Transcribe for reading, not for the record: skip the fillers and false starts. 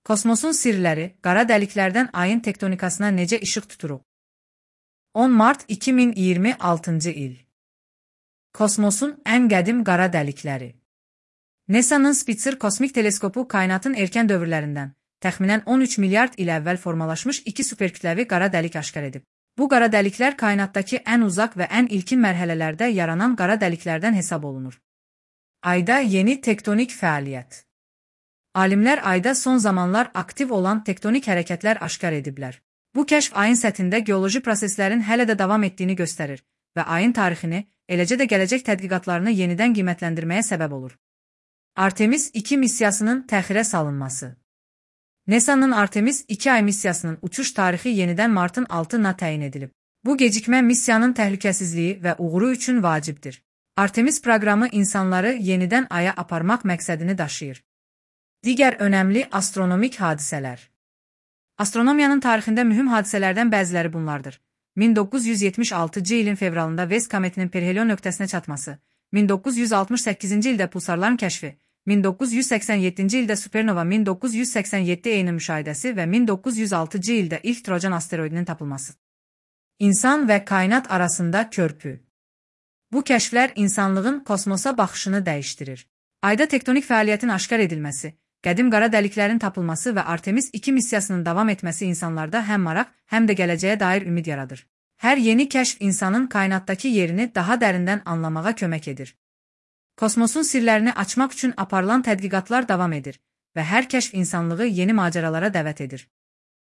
Kosmosun sirləri, qara dəliklərdən ayın tektonikasına necə işıq tuturuq? 10 mart 2026 il. Kosmosun ən qədim qara dəlikləri. NASA'nın Spitzer kosmik teleskopu kainatın erkən dövrlərindən, təxminən 13 milyard il əvvəl formalaşmış iki superkütləvi qara dəlik aşkar edib. Bu qara dəliklər kainatdakı ən uzaq və ən ilkin mərhələlərdə yaranan qara dəliklərdən hesab olunur. Ayda yeni tektonik fəaliyyət. Alimlər ayda son zamanlar aktiv olan tektonik hərəkətlər aşkar ediblər. Bu kəşf ayın səthində geoloji proseslərin hələ də davam etdiyini göstərir və ayın tarixini, eləcə də gələcək tədqiqatlarını yenidən qiymətləndirməyə səbəb olur. Artemis 2 missiyasının təxirə salınması. NASA'nın Artemis 2 ay missiyasının uçuş tarixi yenidən martın 6-na təyin edilib. Bu gecikmə missiyanın təhlükəsizliyi və uğuru üçün vacibdir. Artemis proqramı insanları yenidən aya aparmaq məqsədini daşıyır. Digər önəmli astronomik hadisələr. Astronomiyanın tarixində mühüm hadisələrdən bəziləri bunlardır. 1976-cı ilin fevralında Vest kometinin perihelion nöqtəsinə çatması, 1968-ci ildə pulsarların kəşfi, 1987-ci ildə supernova 1987 eyni müşahidəsi və 1906-cı ildə ilk Trojan asteroidinin tapılması. İnsan və kainat arasında körpü. Bu kəşflər insanlığın kosmosa baxışını dəyişdirir. Ayda tektonik fəaliyyətin aşkar edilməsi, qədim qara dəliklərin tapılması və Artemis 2 missiyasının davam etməsi insanlarda həm maraq, həm də gələcəyə dair ümid yaradır. Hər yeni kəşf insanın kainatdakı yerini daha dərindən anlamağa kömək edir. Kosmosun sirlərini açmaq üçün aparılan tədqiqatlar davam edir və hər kəşf insanlığı yeni macəralara dəvət edir.